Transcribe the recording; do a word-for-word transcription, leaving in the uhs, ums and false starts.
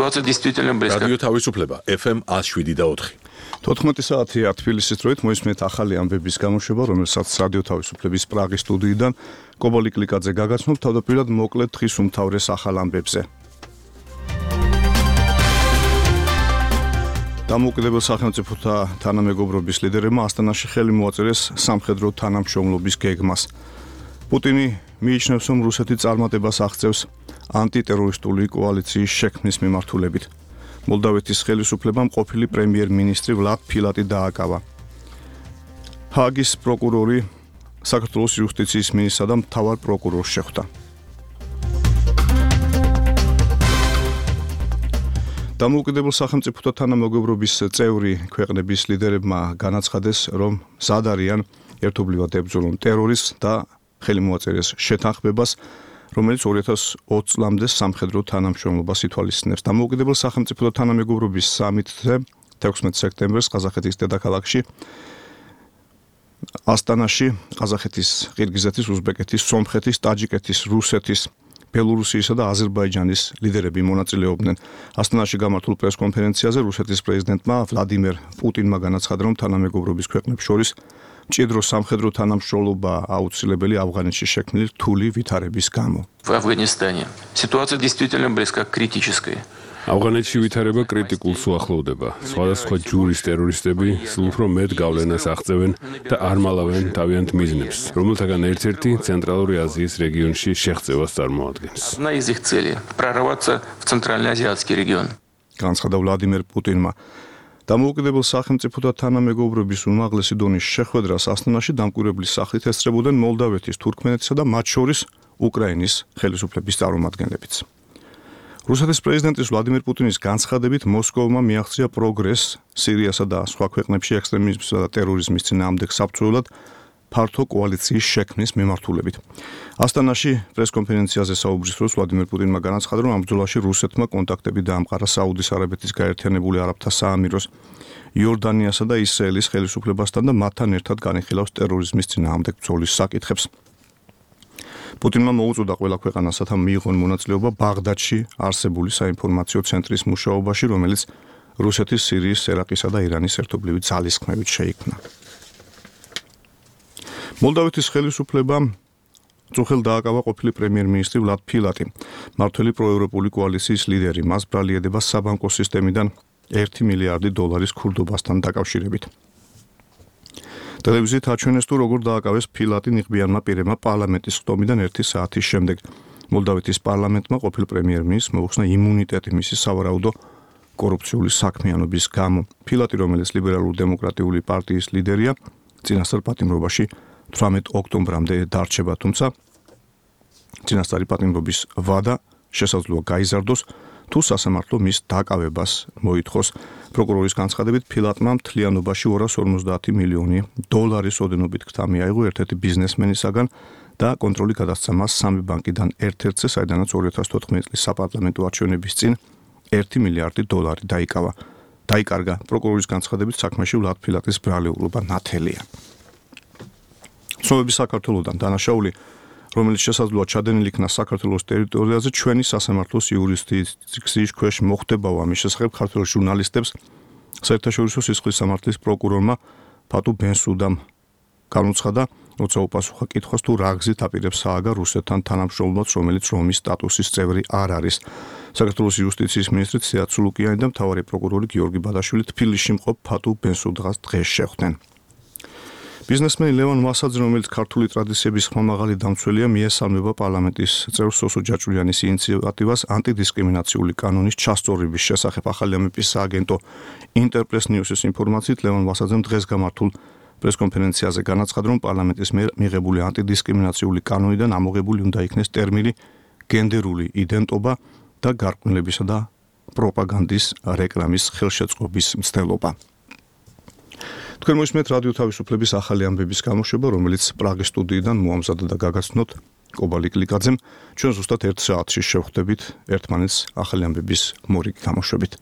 Ситуация действительно близка. რადიო თავისუფლება ეფ ემ one oh seven და four. თოთხმეტი საათია თბილისის დროით მოისმენთ ახალი ამბების გამოშვება, რომელსაც რადიო თავისუფლების პრაღის სტუდიიდან კობალი კლიკაძე გაგაცნობ თავდაპირველად მოკლედ დღის უმთავრეს ახალ ამბებზე. დამოუკიდებელ სახელმწიფოთა თანამეგობრობის ლიდერებმა ასტანაში ხელი მოაწერეს სამხედრო თანამშრომლობის გეგმას. პუტინი მიიჩნევს, რომ რუსეთი წარმატებას აღწევს ანტიტერორისტული კოალიციის შექმნის მიმართულებით. მოლდავეთის ხელისუფლებამ ყოფილი პრემიერ-მინისტრი ვლად ფილატი დააკავა. ჰააგის პროკურორი საქართველოს იუსტიციის მინისტრსა და მთავარ პროკურორს შეხვდა. დამოუკიდებელ სახელმწიფოთა თანამეგობრობის წევრი ქვეყნების ლიდერებმა განაცხადეს, რომ მზად არიან ერთობლივად ებრძოლონ ტერორიზმს და ხელი მოაწერეს შეთანხმებას, რომელიც ორი ათას ოცი წლამდე სამხედრო თანამშრომლობას ითვალისწინებს. დამოუკიდებელ სახელმწიფოთა თანამეგობრობის სამიტზე თექვსმეტი სექტემბერს ყაზახეთის დედაქალაქში ასტანაში ყაზახეთის, ყირგიზეთის, უზბეკეთის, სომხეთის, ტაჯიკეთის, რუსეთის, ბელორუსიისა და აზერბაიჯანის ლიდერები მონაწილეობდნენ. ასტანაში გამართულ პრესკონფერენციაზე რუსეთის პრეზიდენტმა ვლადიმერ პუტინმა განაცხადა, რომ თანამეგობრობის ქვეყნებს შორის მჭიდრო სამხედრო თანამშრომლობა აუცილებელი ავღანეთში შექმნილი რთული ვითარების გამო. В Афганистане ситуация действительно близка к критической. ავღანეთში ვითარება კრიტიკულს უახლოვდება. სხვადასხვა ჯურის ტერორისტები სულ უფრო მეტ გავლენას აღწევენ და არ მალავენ თავიანთ მიზნებს, რომელთაგან ერთ-ერთი ცენტრალური აზიის რეგიონში შეღწევას წარმოადგენს. Одна из их целей прорваться в Центральноазиатский регион. განცხადა ვლადიმერ პუტინმა. დამოუკიდებელ სახელმწიფოთა თანამეგობრობის უმაღლესი დონის შეხვედრას ასტანაში დამკვირვებლის სახით ესწრებოდნენ მოლდავეთის, თურქმენეთისა და მათ შორის უკრაინის ხელისუფლების წარმომადგენლებიც. რუსეთის პრეზიდენტის ვლადიმერ პუტინის განცხადებით მოსკოვმა მიაღწია პროგრესს სირიასა და სხვა ქვეყნებში ექსტრემიზმისა და ტერორიზმის წინააღმდეგ საბრძოლველად ფართო კოალიციის შექმნის მიმართულებით. ასტანაში პრესკონფერენციაზე საუბრის დროს ვლადიმერ პუტინმა განაცხადა, რომ ამ ბრძოლაში რუსეთმა კონტაქტები დაამყარა საუდის არაბეთის გაერთიანებული არაბთა საამიროს, იორდანიასა და ისრაელის ხელისუფლებასთან და მათთან ერთად განიხილავს ტერორიზმის წინააღმდეგ ბრძოლის საკითხებს. პუტინმა მოუწოდა ყველა ქვეყანას, რათა მიიღონ მონაწილეობა ბაღდადში არსებული საინფორმაციო ცენტრის მუშაობაში, რომელიც რუსეთის, სირიის, ერაყისა და ირანის ერთობლივი ძალისხმევით შეიქმნა. მოლდავეთის ხელისუფლებამ წუხელ დააკავა ყოფილი პრემიერ-მინისტრი ვლად ფილატი, მართველი პროევროპული კოალიციის ლიდერი. მას ბრალი ედება საბანკო სისტემიდან ერთი მილიარდი დოლარის ქურდობასთან დაკავშირებით. ტელევიზიით აჩვენეს თუ როგორ დააკავეს ფილატი ნიღბიანმა პირებმა პარლამენტის ხტომიდან ერთი საათის შემდეგ. მოლდავეთის პარლამენტმა ყოფილ პრემიერ-მინისტრს მოუხსნა იმუნიტეტი მისი სავარაუდო კორუფციული საქმიანობის გამო. ფილატი, რომელიც ლიბერალურ-დემოკრატიული პარტიის ლიდერია, წინასწარ პატიმრობაში თვრამეტ ოქტომბრამდე დარჩება, თუმცა წინასწარი პატიმრობის ვადა შესაძლოა გაიზარდოს, თუ სასამართლო მის დაკავებას მოითხოვს. პროკურორის განცხადებით ფილატმა მთლიანობაში ორას ორმოცდაათი მილიონი დოლარის ოდენობით ქთა მიაიღო ერთ-ერთი ბიზნესმენისაგან და კონტროლი გადასცა მას სამი ბანკიდან ერთ-ერთზე, საიდანაც ორი ათას თოთხმეტი წლის საპარლამენტო არჩევნების წინ ერთი მილიარდი დოლარი დაიკავა. დაიკარგა. პროკურორის განცხადებით საქმეში ვლად ფილატის ბრალეულობა ნათელია. ცნობები საქართველოსთან დანაშაული, რომელიც შესაძლოა ჩადენილი იქნა საქართველოს ტერიტორიაზე, ჩვენი სასამართლოს იურისდიქციის ქვეშ მოხდებაო. ამის შესახებ ქართველ ჟურნალისტებს საერთაშორისო სისხლის სამართლის პროკურორმა ფატუ ბენსუდამ განუცხადა, როცა უპასუხა კითხვას, თუ რა გზით აპირებს სააგა რუსეთთან თანამშრომლობას, რომელიც რომის სტატუსის წევრი არ არის. საქართველოს იუსტიციის მინისტრი ცია ცულუკიანი და მთავარი პროკურორი გიორგი ბადაშვილი თბილისში მყოფ ფატუ ბენსუდას დღეს შეხვდნენ. ბიზნესმენი ლევან მასაძე, რომელიც ქართული ტრადიციების ხმამაღალი დამცველია, მიესალმება პარლამენტის წევრ სოსო ჯაჭვიანის ინიციატივას ანტიდისკრიმინაციული კანონის ჩასწორების შესახებ. ახალი ამების სააგენტო ინტერპრეს ნიუსის ინფორმაციით, ლევან მასაძემ დღეს გამართულ პრესკონფერენციაზე განაცხადა, რომ პარლამენტის მიერ მიღებული ანტიდისკრიმინაციული კანონიდან ამოღებული უნდა იქნეს ტერმინი გენდერული იდენტობა და გარკვეულებისა და პროპაგანდის რეკლამის ხელშეწყობის მცდელობა. თქვენ მოისმენთ რადიო თავისუფლების ახალი ამბების გამოშვება, რომელიც პრაღის სტუდიიდან მოამზადა და გაგაცნოთ კობალი კლიკაძემ. ჩვენ ზუსტად ერთ საათში შევხვდებით ერთმანეთს ახალი ამბების მორიგი გამოშვებით.